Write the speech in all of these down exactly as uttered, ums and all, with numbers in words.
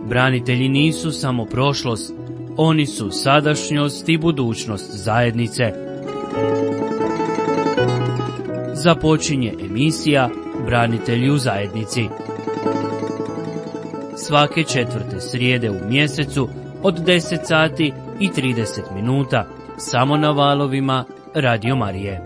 Branitelji nisu samo prošlost, oni su sadašnjost i budućnost zajednice. Započinje emisija Branitelji u zajednici. Svake četvrte srijede u mjesecu od deset sati i trideset minuta, samo na valovima Radio Marije.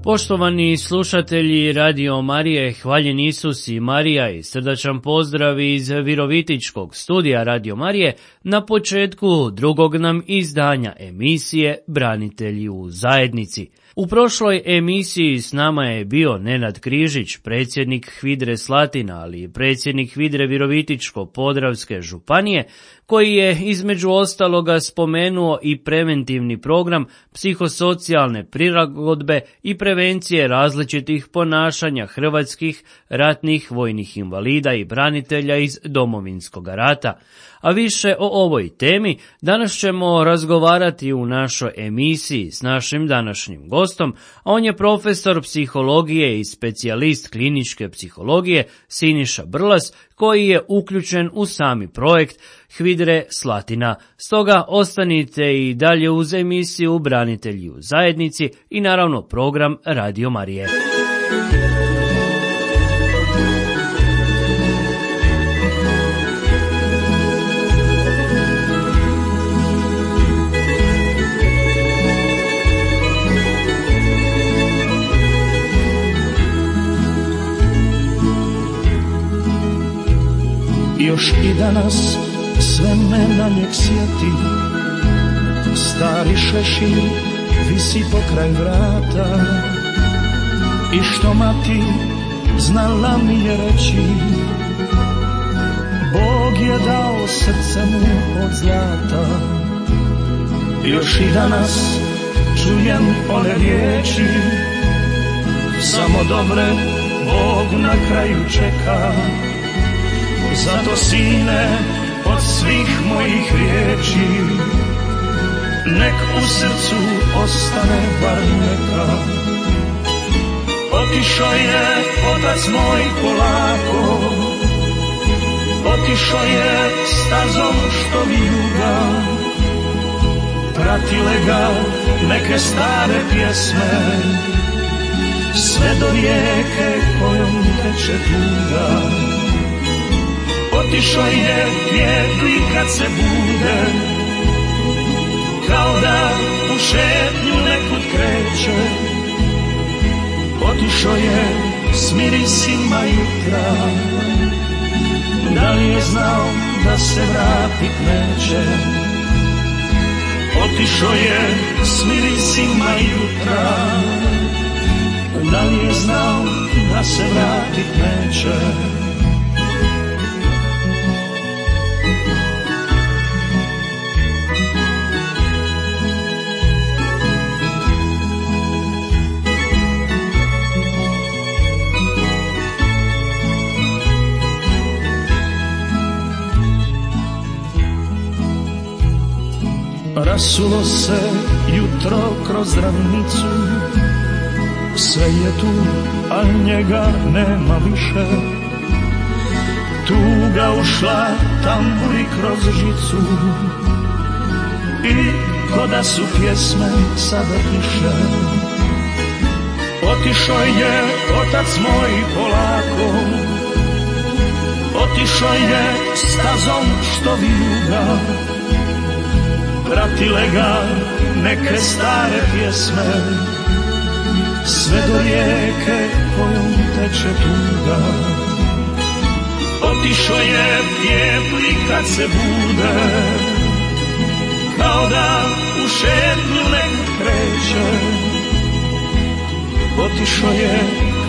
Poštovani slušatelji Radio Marije, hvaljen Isus i Marija i srdačan pozdrav iz Virovitičkog studija Radio Marije na početku drugog nam izdanja emisije Branitelji u zajednici. U prošloj emisiji s nama je bio Nenad Križić, predsjednik HVIDRE Slatina, ali i predsjednik HVIDRE Virovitičko-Podravske županije, koji je između ostaloga spomenuo i preventivni program psihosocijalne prilagodbe i prevencije različitih ponašanja hrvatskih ratnih vojnih invalida i branitelja iz Domovinskog rata. A više o ovoj temi danas ćemo razgovarati u našoj emisiji s našim današnjim gostom, a on je profesor psihologije i specijalist kliničke psihologije Siniša Brlas, koji je uključen u sami projekt HVIDRE Slatina. Stoga ostanite i dalje uz emisiju Branitelji u zajednici i naravno program Radio Marije. Još i danas sve me na njeg sjeti, stari šešir visi pokraj vrata, i što mati znala mi je reći, Bog je dao srce mu od zlata. Još i danas čujem one riječi, samo dobre Bog na kraju čeka. Zato sine, od svih mojih riječi, nek u srcu ostane bar neka. Otišao je otac moj polako, otišao je stazom što vijuga, pratile ga neke stare pjesme, sve do rijeke kojom teče tuga. Otišao je pjevli kad se bude, kao da u šetnju nekud kreće. Otišao je s mirisima jutra, da li je znao da se vratit neće. Otišao je s mirisima jutra, da li je znao da se vratit neće. Rasulo se jutro kroz ravnicu, sve je tu, a njega nema više. Tuga ušla tamburi kroz žicu, i ko da su pjesme sada tiše. Otišao je otac moj polako, otišao je stazom što vijuga, pratile ga neke stare pjesme, sve do rijeke kojom teče tuga. Otišao je pjevli kad se bude, kao da u šetnju nekud kreće. Otišao je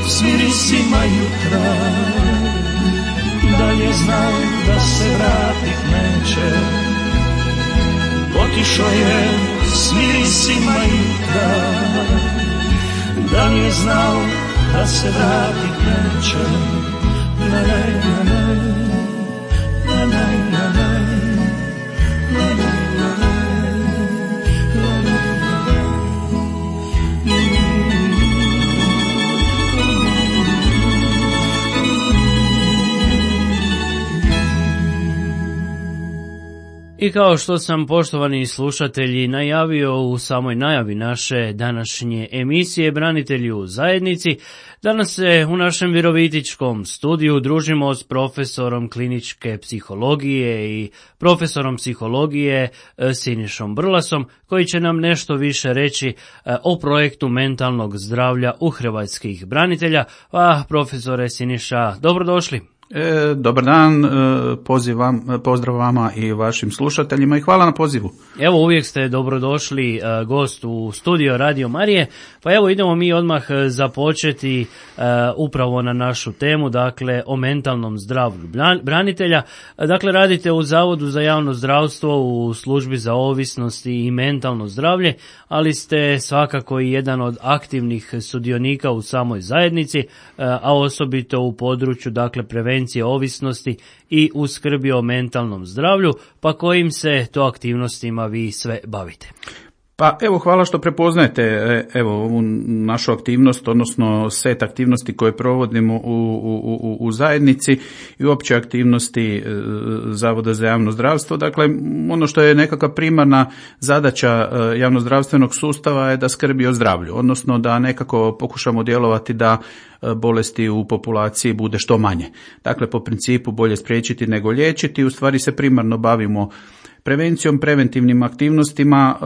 s mirisima jutra, da li je znao da se vratit neće. Otišao je s mirisima jutra, da li je znao da se vratit neće. Ne, ne, ne. I kao što sam, poštovani slušatelji, najavio u samoj najavi naše današnje emisije Branitelji u zajednici, danas se u našem virovitičkom studiju družimo s profesorom kliničke psihologije i profesorom psihologije Sinišom Brlasom, koji će nam nešto više reći o projektu mentalnog zdravlja u hrvatskih branitelja. Pa, profesore Siniša, dobrodošli. E, dobar dan, e, pozivam, pozdrav vama i vašim slušateljima i hvala na pozivu. Evo, uvijek ste dobrodošli e, gost u studio Radio Marije, pa evo idemo mi odmah započeti e, upravo na našu temu, dakle o mentalnom zdravlju branitelja. Dakle, radite u Zavodu za javno zdravstvo u službi za ovisnosti i mentalno zdravlje, ali ste svakako i jedan od aktivnih sudionika u samoj zajednici, e, a osobito u području, dakle, prevencije ovisnosti i u skrbi o mentalnom zdravlju, pa kojim se to aktivnostima vi sve bavite? Pa evo, hvala što prepoznajete evo ovu našu aktivnost, odnosno set aktivnosti koje provodimo u, u, u, u zajednici i uopće aktivnosti Zavoda za javno zdravstvo. Dakle, ono što je nekakva primarna zadaća javnozdravstvenog sustava je da skrbi o zdravlju, odnosno da nekako pokušamo djelovati da bolesti u populaciji bude što manje. Dakle, po principu bolje spriječiti nego liječiti, u stvari se primarno bavimo prevencijom, preventivnim aktivnostima,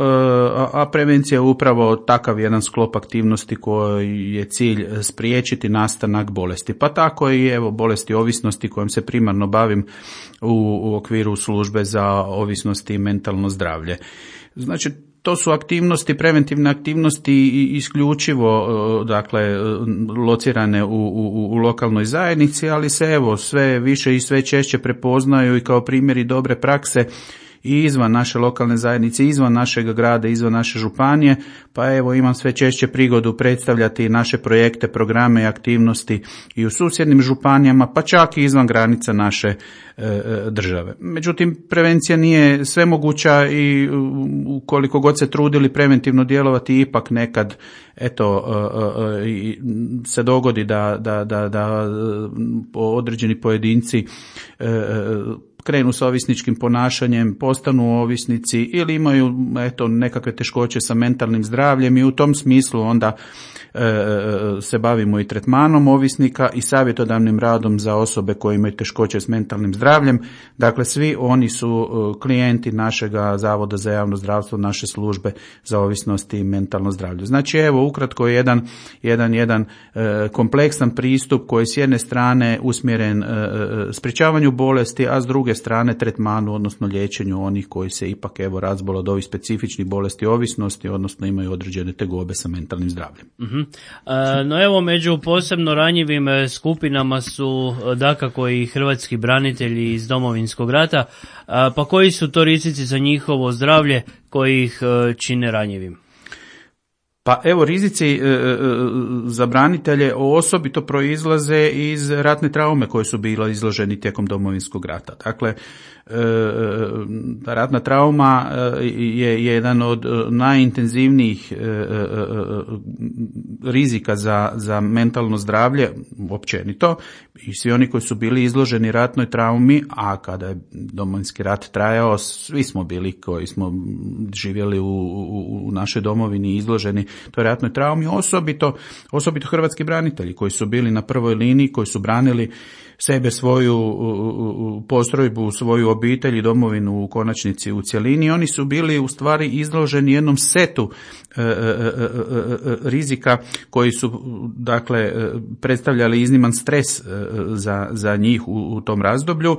a prevencija je upravo takav jedan sklop aktivnosti koji je cilj spriječiti nastanak bolesti. Pa tako i evo bolesti ovisnosti kojom se primarno bavim u, u okviru službe za ovisnosti i mentalno zdravlje. Znači, to su aktivnosti, preventivne aktivnosti isključivo, dakle, locirane u, u, u lokalnoj zajednici, ali se evo sve više i sve češće prepoznaju i kao primjeri dobre prakse i izvan naše lokalne zajednice, izvan našeg grada, izvan naše županije, pa evo imam sve češće prigodu predstavljati naše projekte, programe i aktivnosti i u susjednim županijama, pa čak i izvan granica naše e, države. Međutim, prevencija nije svemoguća i ukoliko god se trudili preventivno djelovati, ipak nekad eto e, e, se dogodi da, da, da, da određeni pojedinci e, krenu sa ovisničkim ponašanjem, postanu ovisnici ili imaju eto nekakve teškoće sa mentalnim zdravljem i u tom smislu onda e, se bavimo i tretmanom ovisnika i savjetodavnim radom za osobe koje imaju teškoće s mentalnim zdravljem. Dakle, svi oni su klijenti našega Zavoda za javno zdravstvo, naše službe za ovisnost i mentalno zdravlje. Znači, evo ukratko jedan, jedan, jedan e, kompleksan pristup koji s jedne strane usmjeren e, sprječavanju bolesti, a s druge strane tretmanu, odnosno liječenju onih koji se ipak evo razbole od ovih specifičnih bolesti ovisnosti, odnosno imaju određene tegobe sa mentalnim zdravljem. Uh-huh. E, no evo, među posebno ranjivim skupinama su dakako i hrvatski branitelji iz Domovinskog rata, a, pa koji su to rizici za njihovo zdravlje koji ih čine ranjivim? Pa evo, rizici e, e, za branitelje osobito proizlaze iz ratne traume koje su bile izloženi tijekom Domovinskog rata. Dakle, e, ratna trauma je jedan od najintenzivnijih e, e, rizika za, za mentalno zdravlje općenito i svi oni koji su bili izloženi ratnoj traumi, a kada je Domovinski rat trajao, svi smo bili koji smo živjeli u, u, u našoj domovini izloženi toj ratnoj traumi, osobito, osobito hrvatski branitelji koji su bili na prvoj liniji, koji su branili sebe, svoju postrojbu, svoju obitelj i domovinu u konačnici u cjelini. Oni su bili u stvari izloženi jednom setu e, e, e, rizika koji su dakle predstavljali izniman stres za, za njih u, u tom razdoblju.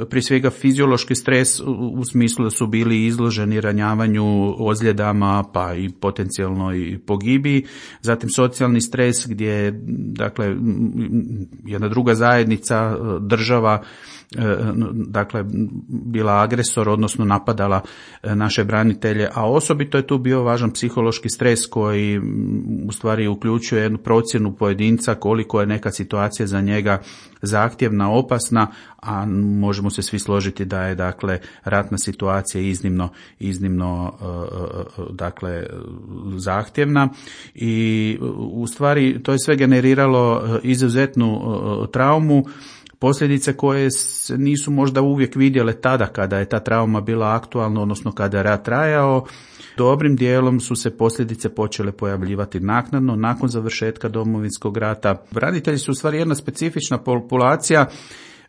Prije svega fiziološki stres u smislu da su bili izloženi ranjavanju, ozljedama pa i potencijalno i pogibiji. Zatim socijalni stres gdje dakle jedna druga zajednica, država dakle bila agresor, odnosno napadala naše branitelje, a osobito je tu bio važan psihološki stres koji u stvari uključuje jednu procjenu pojedinca koliko je neka situacija za njega zahtjevna, opasna, a možemo se svi složiti da je dakle ratna situacija iznimno, iznimno dakle zahtjevna i u stvari to je sve generiralo izuzetnu traumu, posljedice koje nisu možda uvijek vidjele tada kada je ta trauma bila aktualna, odnosno kada je rat trajao. Dobrim dijelom su se posljedice počele pojavljivati naknadno, nakon završetka Domovinskog rata. Branitelji su u stvari jedna specifična populacija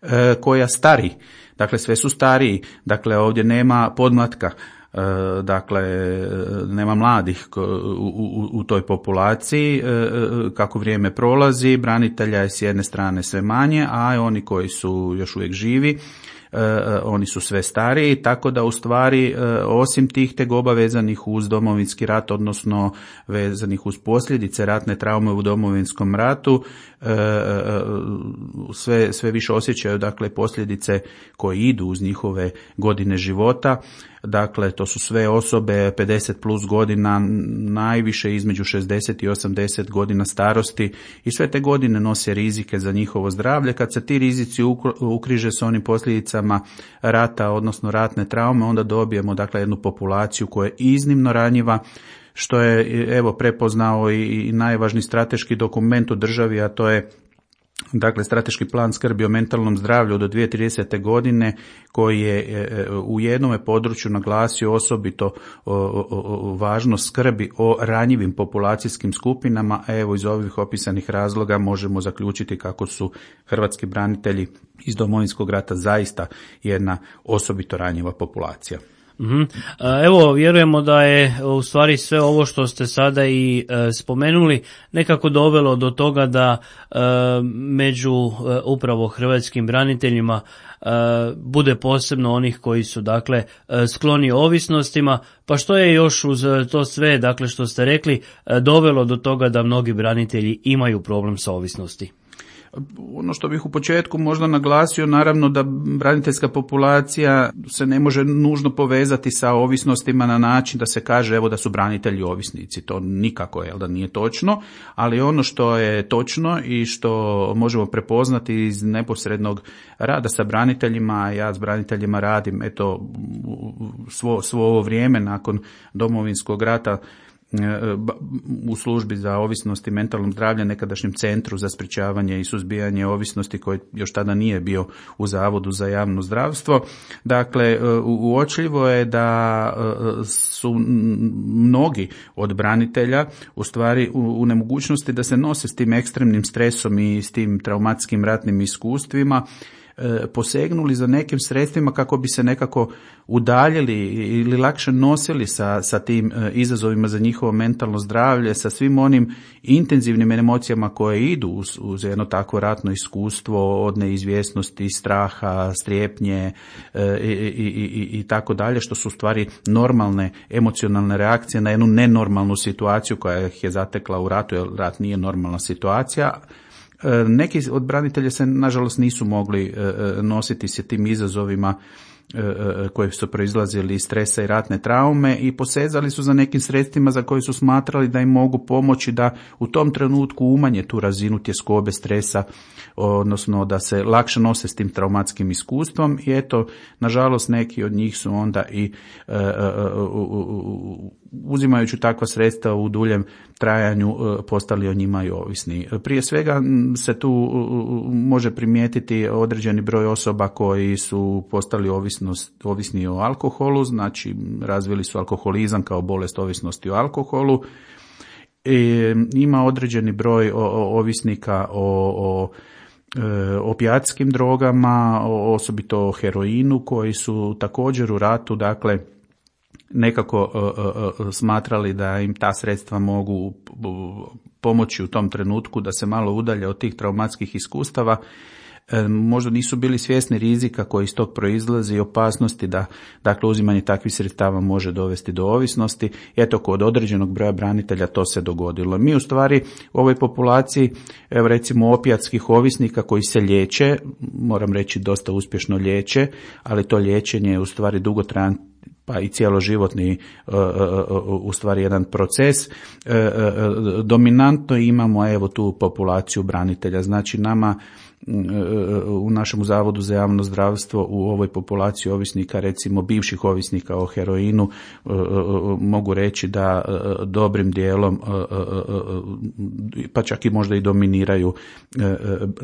e, koja stari, dakle sve su stariji, dakle ovdje nema podmlatka. Dakle, nema mladih u, u, u toj populaciji. Kako vrijeme prolazi, branitelja je s jedne strane sve manje, a oni koji su još uvijek živi, oni su sve stariji, tako da u stvari osim tih tegoba vezanih uz Domovinski rat, odnosno vezanih uz posljedice ratne traume u Domovinskom ratu, sve, sve više osjećaju dakle posljedice koje idu uz njihove godine života. Dakle, to su sve osobe pedeset plus godina, najviše između šezdeset i osamdeset godina starosti, i sve te godine nose rizike za njihovo zdravlje. Kad se ti rizici ukriže s onim posljedicama rata, odnosno ratne traume, onda dobijemo dakle jednu populaciju koja je iznimno ranjiva, što je evo prepoznao i najvažniji strateški dokument u državi, a to je dakle strateški plan skrbi o mentalnom zdravlju do dvije tisuće tridesete godine, koji je u jednome području naglasio osobito važnost skrbi o ranjivim populacijskim skupinama, a evo iz ovih opisanih razloga možemo zaključiti kako su hrvatski branitelji iz Domovinskog rata zaista jedna osobito ranjiva populacija. Mm-hmm. Evo, vjerujemo da je u stvari sve ovo što ste sada i e, spomenuli nekako dovelo do toga da e, među e, upravo hrvatskim braniteljima e, bude posebno onih koji su dakle e, skloni ovisnostima, pa što je još uz to sve, dakle što ste rekli, e, dovelo do toga da mnogi branitelji imaju problem sa ovisnosti? Ono što bih u početku možda naglasio, naravno da braniteljska populacija se ne može nužno povezati sa ovisnostima na način da se kaže evo da su branitelji ovisnici. To nikako je, da nije točno, ali ono što je točno i što možemo prepoznati iz neposrednog rada sa braniteljima, ja s braniteljima radim eto svo, svo ovo vrijeme nakon Domovinskog rata u službi za ovisnost i mentalnom zdravlju, nekadašnjem centru za sprječavanje i suzbijanje ovisnosti koji još tada nije bio u Zavodu za javno zdravstvo. Dakle, uočljivo je da su mnogi od branitelja u stvari u nemogućnosti da se nose s tim ekstremnim stresom i s tim traumatskim ratnim iskustvima, posegnuli za nekim sredstvima kako bi se nekako udaljili ili lakše nosili sa, sa tim izazovima za njihovo mentalno zdravlje, sa svim onim intenzivnim emocijama koje idu uz, uz jedno takvo ratno iskustvo, od neizvjesnosti, straha, strepnje i, i, i, i tako dalje, što su u stvari normalne emocionalne reakcije na jednu nenormalnu situaciju koja ih je zatekla u ratu, jer rat nije normalna situacija. Neki od branitelja se nažalost nisu mogli nositi se tim izazovima koji su proizlazili iz stresa i ratne traume i posezali su za nekim sredstvima za koje su smatrali da im mogu pomoći da u tom trenutku umanje tu razinu tjeskobe, stresa, odnosno da se lakše nose s tim traumatskim iskustvom. I eto, nažalost neki od njih su onda i uzimajući takva sredstva u duljem trajanju postali o njima i ovisni. Prije svega se tu može primijetiti određeni broj osoba koji su postali ovisnost, ovisni o alkoholu, znači razvili su alkoholizam kao bolest ovisnosti o alkoholu. I ima određeni broj ovisnika o, o opijatskim drogama, osobito o heroinu, koji su također u ratu, dakle, nekako uh, uh, smatrali da im ta sredstva mogu pomoći u tom trenutku da se malo udalje od tih traumatskih iskustava. E, možda nisu bili svjesni rizika koji iz tog proizlazi i opasnosti da dakle uzimanje takvih sredstava može dovesti do ovisnosti. Eto, kod određenog broja branitelja to se dogodilo. Mi u stvari u ovoj populaciji, evo recimo opijatskih ovisnika koji se liječe, moram reći dosta uspješno liječe, ali to liječenje je u stvari dugotrajan pa i cjeloživotni u stvari jedan proces. Dominantno imamo evo tu populaciju branitelja. Znači nama u našem Zavodu za javno zdravstvo u ovoj populaciji ovisnika, recimo bivših ovisnika o heroinu, mogu reći da dobrim dijelom, pa čak i možda i dominiraju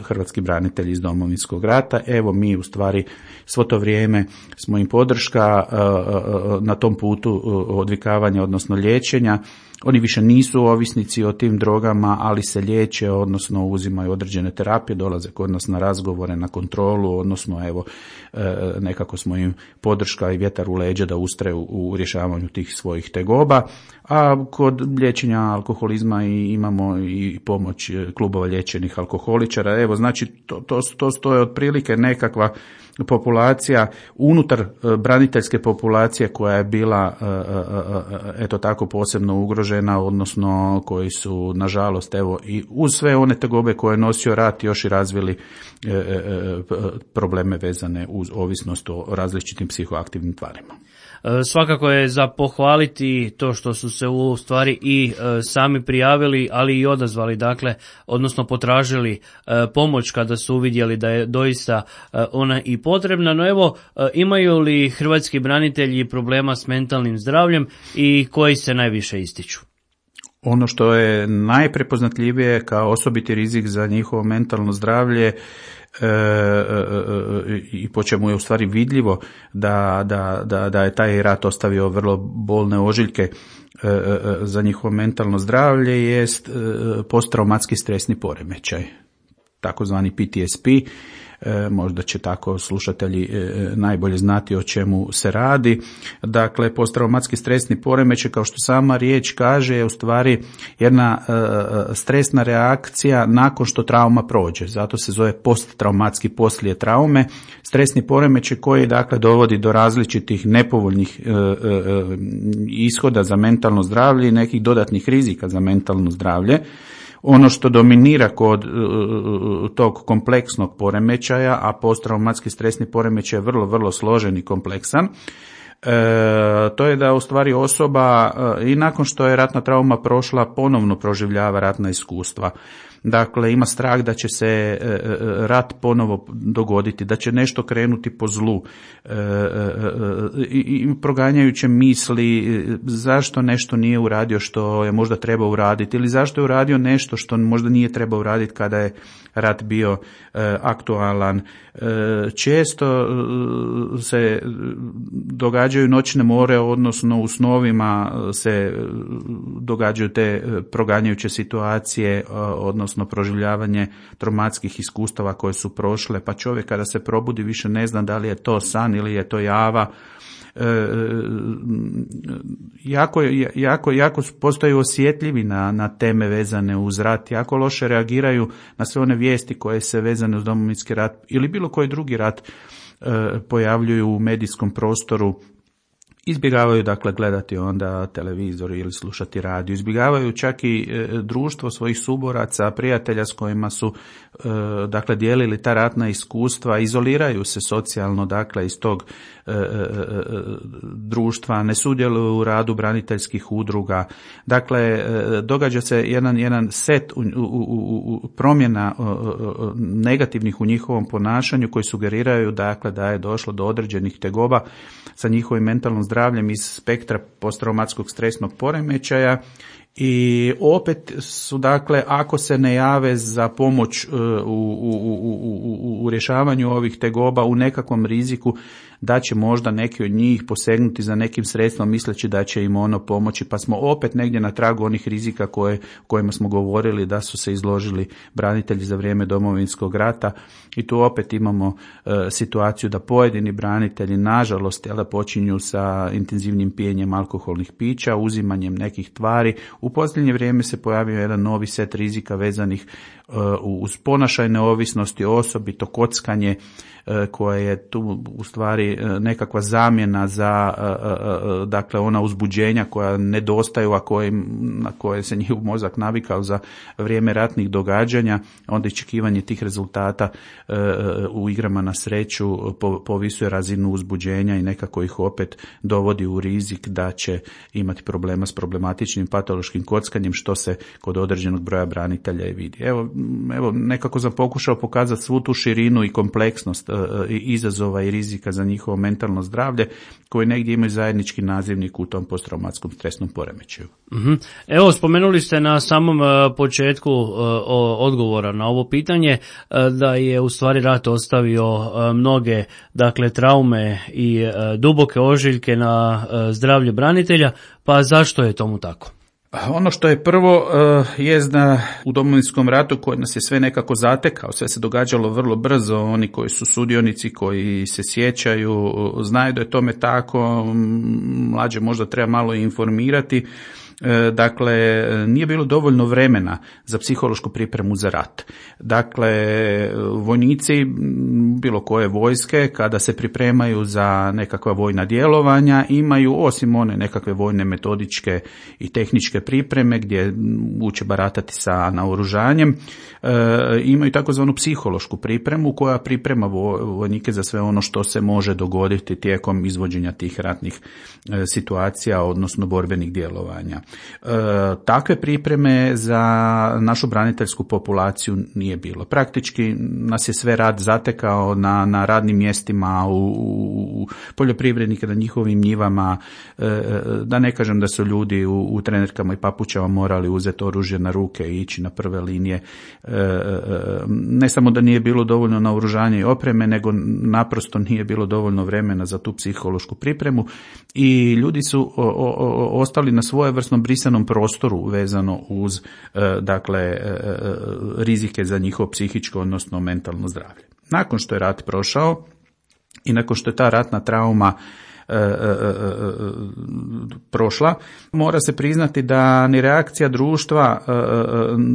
hrvatski branitelji iz Domovinskog rata. Evo mi u stvari svo to vrijeme smo im podrška na tom putu odvikavanja, odnosno liječenja. Oni više nisu ovisnici o tim drogama, ali se liječe, odnosno uzimaju određene terapije, dolaze kod nas na razgovore, na kontrolu, odnosno evo nekako smo im podrška i vjetar u leđa da ustraju u rješavanju tih svojih tegoba. A kod liječenja alkoholizma i imamo i pomoć klubova liječenih alkoholičara. Evo, znači to, to, to stoje otprilike nekakva populacija unutar braniteljske populacije koja je bila eto tako posebno ugrožena, odnosno koji su nažalost evo i uz sve one tegobe koje je nosio rat još i razvili probleme vezane uz ovisnost o različitim psihoaktivnim tvarima. Svakako je za pohvaliti to što su se u stvari i sami prijavili, ali i odazvali, dakle, odnosno potražili pomoć kada su uvidjeli da je doista ona i potrebna. No evo, imaju li hrvatski branitelji problema s mentalnim zdravljem i koji se najviše ističu? Ono što je najprepoznatljivije kao osobiti rizik za njihovo mentalno zdravlje E, e, e, i po čemu je u stvari vidljivo da, da, da, da je taj rat ostavio vrlo bolne ožiljke e, e, za njihovo mentalno zdravlje jest e, posttraumatski stresni poremećaj, takozvani P T S P. E, možda će tako slušatelji e, najbolje znati o čemu se radi. Dakle, posttraumatski stresni poremećaj, kao što sama riječ kaže, je u stvari jedna e, stresna reakcija nakon što trauma prođe. Zato se zove posttraumatski poslije traume. Stresni poremećaj koji dakle dovodi do različitih nepovoljnih e, e, ishoda za mentalno zdravlje i nekih dodatnih rizika za mentalno zdravlje. Ono što dominira kod uh, tog kompleksnog poremećaja, a posttraumatski stresni poremećaj je vrlo, vrlo složen i kompleksan, e, to je da u stvari osoba uh, i nakon što je ratna trauma prošla ponovno proživljava ratna iskustva. Dakle, ima strah da će se e, rat ponovo dogoditi, da će nešto krenuti po zlu e, e, i, i proganjajuće misli zašto nešto nije uradio što je možda trebao uraditi ili zašto je uradio nešto što možda nije trebao uraditi kada je rat bio e, aktualan. E, često se događaju noćne more, odnosno u snovima se događaju te proganjajuće situacije, odnosno proživljavanje traumatskih iskustava koje su prošle, pa čovjek kada se probudi više ne zna da li je to san ili je to java. E, jako, jako, jako postaju osjetljivi na, na teme vezane uz rat, jako loše reagiraju na sve one vijesti koje se vezane uz Domovinski rat ili bilo koji drugi rat e, pojavljuju u medijskom prostoru. Izbjegavaju dakle gledati onda televizor ili slušati radio, izbjegavaju čak i e, društvo svojih suboraca, prijatelja s kojima su e, dakle dijelili ta ratna iskustva, izoliraju se socijalno dakle iz tog e, e, društva, ne sudjeluju u radu braniteljskih udruga. Dakle, e, događa se jedan, jedan set u, u, u, u promjena e, negativnih u njihovom ponašanju koji sugeriraju dakle da je došlo do određenih tegoba sa njihovim mentalnom zdravljem iz spektra posttraumatskog stresnog poremećaja i opet su dakle ako se ne jave za pomoć u, u, u, u, u rješavanju ovih tegoba u nekakvom riziku da će možda neki od njih posegnuti za nekim sredstvom misleći da će im ono pomoći, pa smo opet negdje na tragu onih rizika koje, kojima smo govorili da su se izložili branitelji za vrijeme Domovinskog rata i tu opet imamo e, situaciju da pojedini branitelji nažalost jel, počinju sa intenzivnim pijenjem alkoholnih pića, uzimanjem nekih tvari. U posljednje vrijeme se pojavio jedan novi set rizika vezanih uh, uz ponašajne ovisnosti, osobito kockanje, koja je tu u stvari nekakva zamjena za dakle ona uzbuđenja koja nedostaju, a koje, na koje se njihov mozak navikao za vrijeme ratnih događanja, onda iščekivanje tih rezultata u igrama na sreću povisuje razinu uzbuđenja i nekako ih opet dovodi u rizik da će imati problema s problematičnim patološkim kockanjem, što se kod određenog broja branitelja i vidi. Evo, evo nekako sam pokušao pokazati svu tu širinu i kompleksnost e, izazova i rizika za njihovo mentalno zdravlje, koji negdje imaju zajednički nazivnik u tom posttraumatskom stresnom poremećaju. Mm-hmm. Evo, spomenuli ste na samom uh, početku uh, odgovora na ovo pitanje uh, da je u stvari rat ostavio uh, mnoge dakle traume i uh, duboke ožiljke na uh, zdravlje branitelja, pa zašto je tomu tako? Ono što je prvo uh, je da u Domovinskom ratu koji nas je sve nekako zatekao, sve se događalo vrlo brzo, oni koji su sudionici, koji se sjećaju, znaju da je tome tako, mlađe možda treba malo informirati. Dakle, nije bilo dovoljno vremena za psihološku pripremu za rat. Dakle, vojnici bilo koje vojske kada se pripremaju za nekakva vojna djelovanja imaju, osim one nekakve vojne metodičke i tehničke pripreme gdje uče baratati sa naoružanjem, imaju takozvanu psihološku pripremu koja priprema vojnike za sve ono što se može dogoditi tijekom izvođenja tih ratnih situacija, odnosno borbenih djelovanja. E, takve pripreme za našu braniteljsku populaciju nije bilo. Praktički nas je sve rad zatekao na, na radnim mjestima, u, u poljoprivrednike, na njihovim njivama, e, da ne kažem da su ljudi u, u trenerkama i papučama morali uzeti oružje na ruke i ići na prve linije. E, ne samo da nije bilo dovoljno naoružanja i opreme, nego naprosto nije bilo dovoljno vremena za tu psihološku pripremu i ljudi su o, o, ostali na svojevrsnom brisanom prostoru vezano uz dakle rizike za njihovo psihičko, odnosno mentalno zdravlje. Nakon što je rat prošao i nakon što je ta ratna trauma E, e, e, prošla, mora se priznati da ni reakcija društva e, e,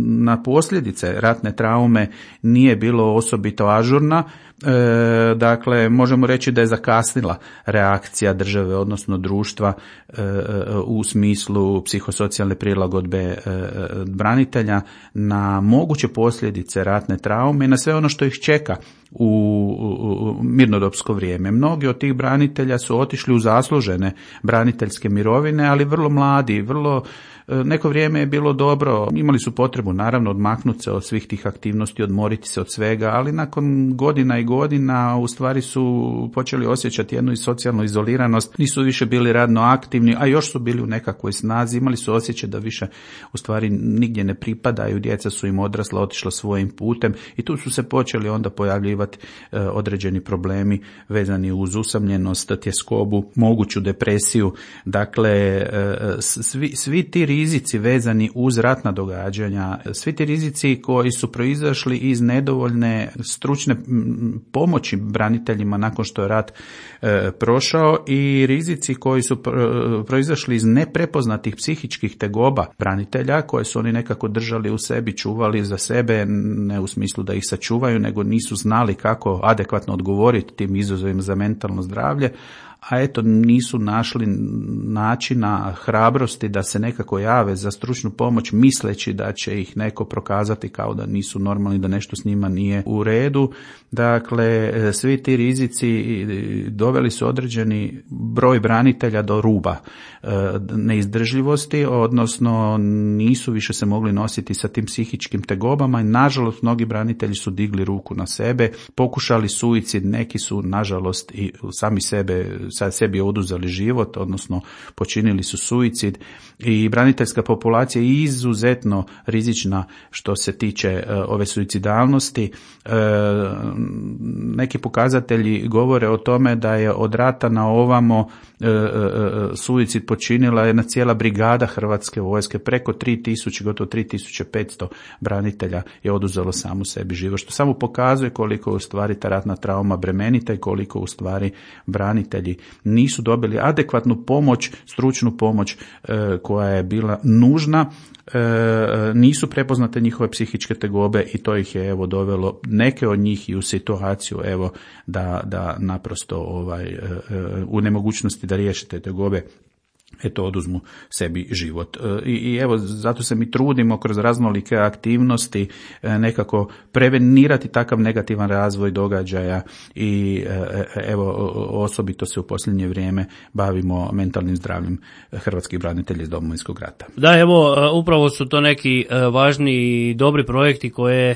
na posljedice ratne traume nije bilo osobito ažurna. E, dakle, možemo reći da je zakasnila reakcija države, odnosno društva e, u smislu psihosocijalne prilagodbe e, branitelja na moguće posljedice ratne traume i na sve ono što ih čeka u, u mirnodopsko vrijeme. Mnogi od tih branitelja su otišli u zaslužene braniteljske mirovine, ali vrlo mladi, vrlo neko vrijeme je bilo dobro, imali su potrebu naravno odmaknuti se od svih tih aktivnosti, odmoriti se od svega, ali nakon godina i godina u stvari su počeli osjećati jednu socijalnu izoliranost, nisu više bili radno aktivni, a još su bili u nekakvoj snazi, imali su osjećaj da više u stvari nigdje ne pripadaju, djeca su im odrasla, otišla svojim putem i tu su se počeli onda pojavljivati e, određeni problemi vezani uz usamljenost, tjeskobu, moguću depresiju. Dakle, e, svi, svi ti rizici vezani uz ratna događanja, svi ti rizici koji su proizašli iz nedovoljne stručne pomoći braniteljima nakon što je rat e, prošao i rizici koji su proizašli iz neprepoznatih psihičkih tegoba branitelja koje su oni nekako držali u sebi, čuvali za sebe, ne u smislu da ih sačuvaju, nego nisu znali kako adekvatno odgovoriti tim izazovima za mentalno zdravlje, a eto nisu našli načina hrabrosti da se nekako jave za stručnu pomoć misleći da će ih neko prokazati kao da nisu normalni, da nešto s njima nije u redu. Dakle, svi ti rizici doveli su određeni broj branitelja do ruba neizdržljivosti, odnosno nisu više se mogli nositi sa tim psihičkim tegobama i nažalost mnogi branitelji su digli ruku na sebe, pokušali suicid, neki su nažalost i sami sebe sad sebi oduzeli život, odnosno počinili su suicid i braniteljska populacija je izuzetno rizična što se tiče uh, ove suicidalnosti. Uh, neki pokazatelji govore o tome da je od rata na ovamo uh, uh, suicid počinila jedna cijela brigada Hrvatske vojske, preko tri tisuće, gotovo tri tisuće petsto branitelja je oduzelo samu sebi život, što samo pokazuje koliko u stvari ta ratna trauma bremenita i koliko u stvari branitelji nisu dobili adekvatnu pomoć, stručnu pomoć koja je bila nužna, nisu prepoznate njihove psihičke tegobe i to ih je evo dovelo neke od njih i u situaciju evo da, da naprosto ovaj, u nemogućnosti da riješe te tegobe eto oduzmu sebi život. I, i evo zato se mi trudimo kroz raznolike aktivnosti nekako prevenirati takav negativan razvoj događaja i evo osobito se u posljednje vrijeme bavimo mentalnim zdravljem hrvatskih branitelja iz Domovinskog rata. Da, evo upravo su to neki važni i dobri projekti koje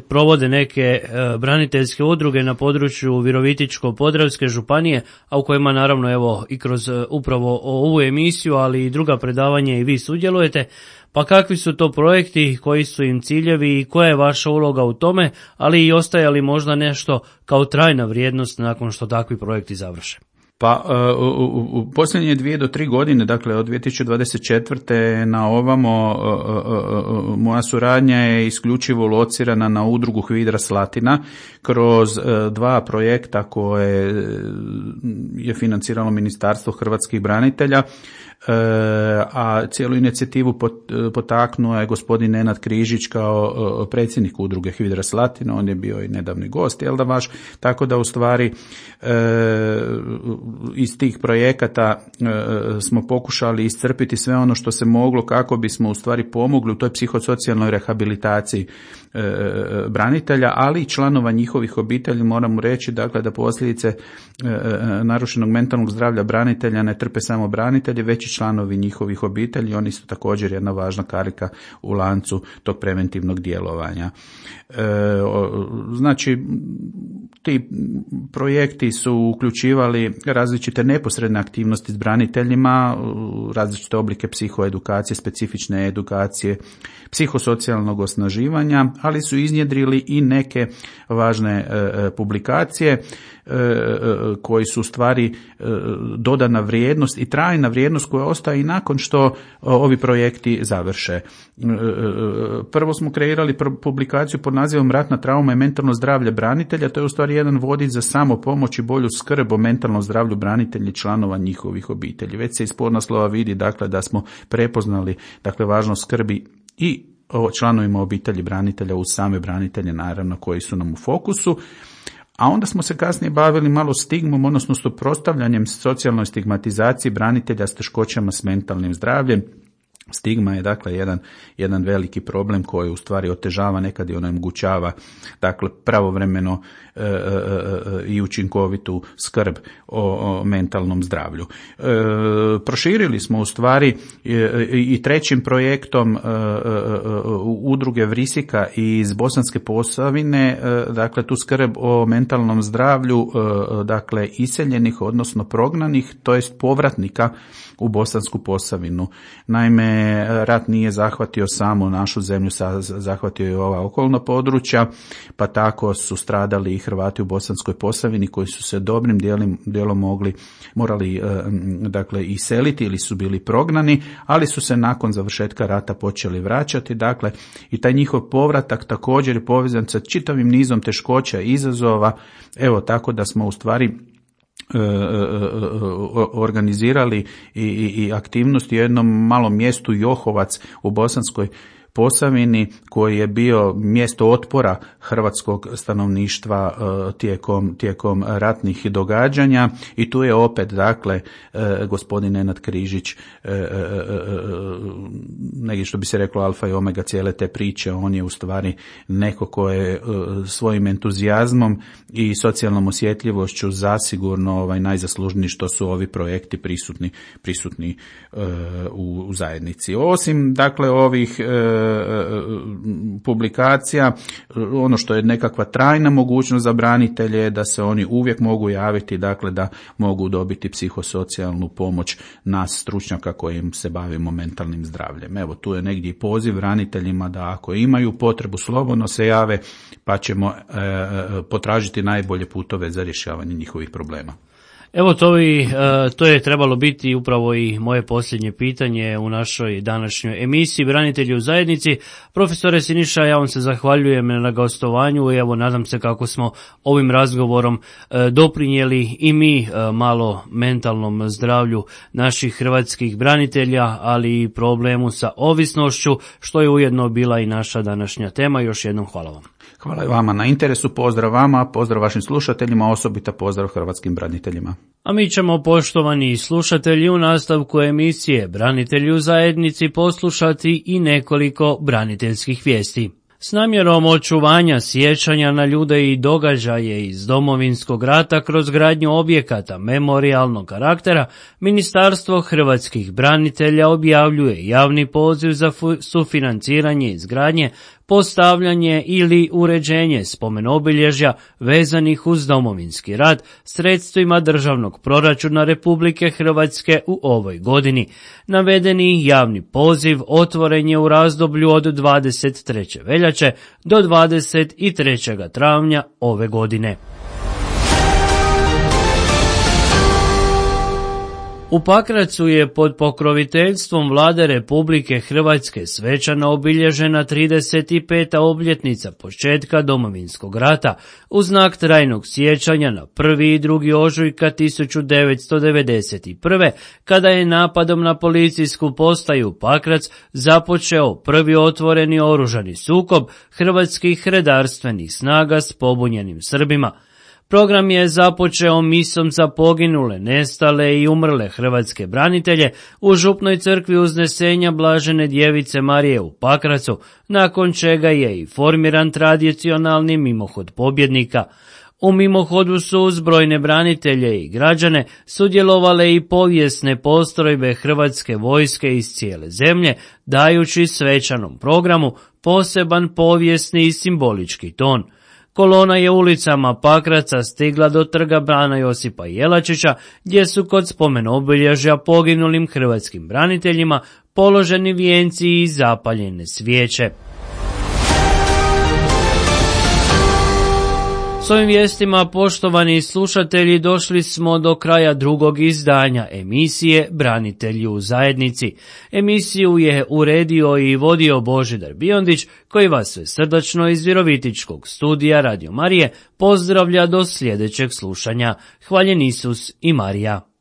provode neke braniteljske udruge na području Virovitičko-podravske županije, a u kojima naravno evo i kroz upravo ovu emisiju, ali i druga predavanja i vi sudjelujete. Pa kakvi su to projekti, koji su im ciljevi i koja je vaša uloga u tome, ali i ostaje li možda nešto kao trajna vrijednost nakon što takvi projekti završe? Pa u, u, u posljednje dvije do tri godine, dakle od dvije tisuće dvadeset četvrte na ovamo, moja suradnja je isključivo locirana na udrugu Hvidra Slatina kroz dva projekta koje je financiralo Ministarstvo hrvatskih branitelja, a cijelu inicijativu potaknuo je gospodin Nenad Križić kao predsjednik udruge Hvidra Slatina, on je bio i nedavni gost, jel da vaš, tako da u stvari iz tih projekata smo pokušali iscrpiti sve ono što se moglo kako bismo u stvari pomogli u toj psihosocijalnoj rehabilitaciji branitelja, ali i članova njihovih obitelji. Moramo reći dakle da posljedice narušenog mentalnog zdravlja branitelja ne trpe samo branitelji, već i članovi njihovih obitelji, oni su također jedna važna karika u lancu tog preventivnog djelovanja. Znači, ti projekti su uključivali različite neposredne aktivnosti s braniteljima, različite oblike psihoedukacije, specifične edukacije, psihosocijalnog osnaživanja, ali su iznjedrili i neke važne publikacije koji su u stvari dodana vrijednost i trajna vrijednost koja ostaje i nakon što ovi projekti završe. Prvo smo kreirali publikaciju pod nazivom Ratna trauma i mentalno zdravlje branitelja. To je u stvari jedan vodič za samopomoć i bolju skrb o mentalnom zdravlju branitelja i članova njihovih obitelji. Već se iz podnaslova vidi dakle da smo prepoznali dakle važnost skrbi i o članovima obitelji branitelja uz same branitelje naravno koji su nam u fokusu. A onda smo se kasnije bavili malo stigmom, odnosno suprotstavljanjem socijalnoj stigmatizaciji branitelja s teškoćama s mentalnim zdravljem. Stigma je dakle jedan, jedan veliki problem koji u stvari otežava, nekad i onemogućava dakle pravovremeno e, e, e, i učinkovitu skrb o, o mentalnom zdravlju. E, proširili smo u stvari e, i trećim projektom e, e, udruge Vrisika iz Bosanske Posavine, e, dakle tu skrb o mentalnom zdravlju e, dakle iseljenih odnosno prognanih, to jest povratnika u Bosansku Posavinu. Naime, rat nije zahvatio samo našu zemlju, zahvatio je ova okolna područja, pa tako su stradali i Hrvati u Bosanskoj Posavini koji su se dobrim dijelom, dijelom mogli, morali dakle iseliti ili su bili prognani, ali su se nakon završetka rata počeli vraćati. Dakle, i taj njihov povratak također je povezan sa čitavim nizom teškoća i izazova. Evo tako da smo u stvari organizirali i, i, i aktivnosti u jednom malom mjestu Johovac u Bosanskoj Posavini koji je bio mjesto otpora hrvatskog stanovništva tijekom, tijekom ratnih događanja i tu je opet dakle gospodin Nenad Križić negdje što bi se reklo alfa i omega cijele te priče. On je u stvari neko ko je svojim entuzijazmom i socijalnom osjetljivošću zasigurno ovaj najzaslužniji što su ovi projekti prisutni, prisutni u, u zajednici. Osim dakle ovih publikacija, ono što je nekakva trajna mogućnost za branitelje je da se oni uvijek mogu javiti, dakle da mogu dobiti psihosocijalnu pomoć nas stručnjaka kojim se bavimo mentalnim zdravljem. Evo tu je negdje i poziv braniteljima da ako imaju potrebu slobodno se jave pa ćemo e, potražiti najbolje putove za rješavanje njihovih problema. Evo to, i, to je trebalo biti upravo i moje posljednje pitanje u našoj današnjoj emisiji Branitelji u zajednici. Profesore Siniša, ja vam se zahvaljujem na gostovanju i evo nadam se kako smo ovim razgovorom doprinijeli i mi malo mentalnom zdravlju naših hrvatskih branitelja, ali i problemu sa ovisnošću, što je ujedno bila i naša današnja tema. Još jednom hvala vam. Hvala i vama na interesu, pozdrav vama, pozdrav vašim slušateljima, osobito pozdrav hrvatskim braniteljima. A mi ćemo, poštovani slušatelji, u nastavku emisije Branitelji u zajednici poslušati i nekoliko braniteljskih vijesti. S namjerom očuvanja sjećanja na ljude i događaje iz Domovinskog rata kroz gradnju objekata memorijalnog karaktera, Ministarstvo hrvatskih branitelja objavljuje javni poziv za sufinanciranje izgradnje, postavljanje ili uređenje spomenobilježja vezanih uz Domovinski rat sredstvima državnog proračuna Republike Hrvatske u ovoj godini. Navedeni javni poziv otvoren je u razdoblju od dvadeset treće veljače do dvadeset trećeg travnja ove godine. U Pakracu je pod pokroviteljstvom Vlade Republike Hrvatske svečano obilježena trideset peta obljetnica početka Domovinskog rata u znak trajnog sjećanja na prvi i drugi ožujka tisuću devetsto devedeset prve. kada je napadom na policijsku postaju Pakrac započeo prvi otvoreni oružani sukob hrvatskih redarstvenih snaga s pobunjenim Srbima. Program je započeo misom za poginule, nestale i umrle hrvatske branitelje u župnoj crkvi Uznesenja Blažene djevice Marije u Pakracu, nakon čega je i formiran tradicionalni mimohod pobjednika. U mimohodu su uz brojne branitelje i građane sudjelovale i povijesne postrojbe hrvatske vojske iz cijele zemlje, dajući svečanom programu poseban povijesni i simbolički ton. Kolona je ulicama Pakraca stigla do trga Bana Josipa Jelačića, gdje su kod spomenobilježja poginulim hrvatskim braniteljima položeni vijenci i zapaljene svijeće. S ovim vijestima, poštovani slušatelji, došli smo do kraja drugog izdanja emisije Branitelji u zajednici. Emisiju je uredio i vodio Božidar Biondić, koji vas sve srdačno iz Virovitičkog studija Radio Marije pozdravlja do sljedećeg slušanja. Hvaljen Isus i Marija.